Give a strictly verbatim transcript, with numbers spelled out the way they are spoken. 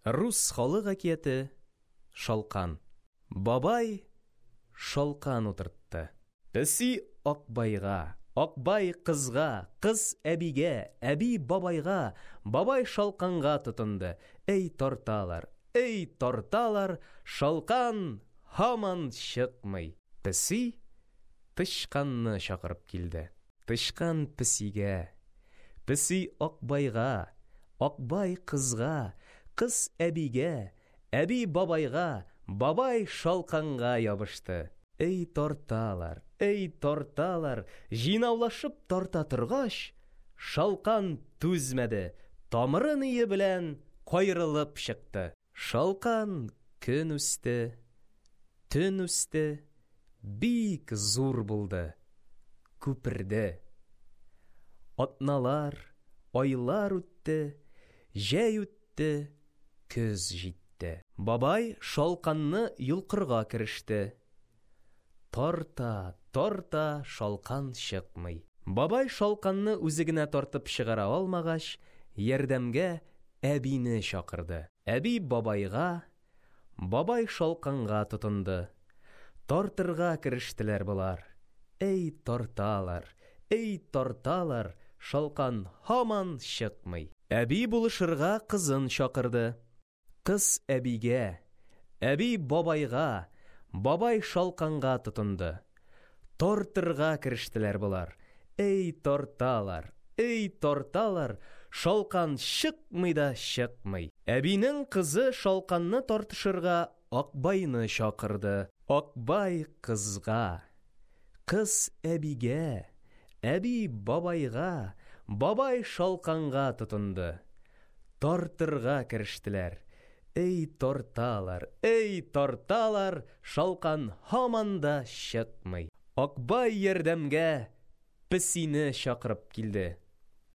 Рус халык әкияте «Шалкан». Бабай шалкан утыртты. Песи Акбайга, Акбай кызга, кыз әбигә, әби бабайга, бабай шалканга тотынды. Эй тарталар, эй тарталар, шалкан һаман чыкмый. Песи тычканны чакырып килде. Тычкан песигә, песи Акбайга, Акбай кызга, кыз әбигә, әби бабайга, бабай шалканга ябышты. Эй тарталар, эй тарталар, җыйнаулашып тарта торгач, шалкан түзмәде, тамыры-ние белән каерылып чыкты. Шалкан көн үсте, төн үсте, бик зур булды, күперде. Атналар, айлар үтте, җәй үтте, көз җитте. Бабай шалканны йолкырга кереште. Тарта, тарта, шалкан чыкмый. Бабай шалканны үзе генә тартып чыгара алмагач, ярдәмгә әбине чакырды. Әби бабайга, бабай шалканга тотынды. Тартырга керештеләр болар. Эй тарталар, эй тарталар, шалкан һаман чыкмый. Әби булышырга кызын чакырды. Кыз әбигә, әби бабайга, бабай шалканга тотынды. Тартырга керештеләр болар. Эй тарталар, эй тарталар, шалкан чыкмый да чыкмый. Әбинең кызы шалканны тартышырга Акбайны чакырды. Акбай кызга, кыз әбигә, әби бабайга, бабай шалканга тотынды. Тартырга керештеләр. Эй тарталар, эй тарталар, шалкан һаман да чыкмый. Акбай ярдәмгә песине чакырып килде.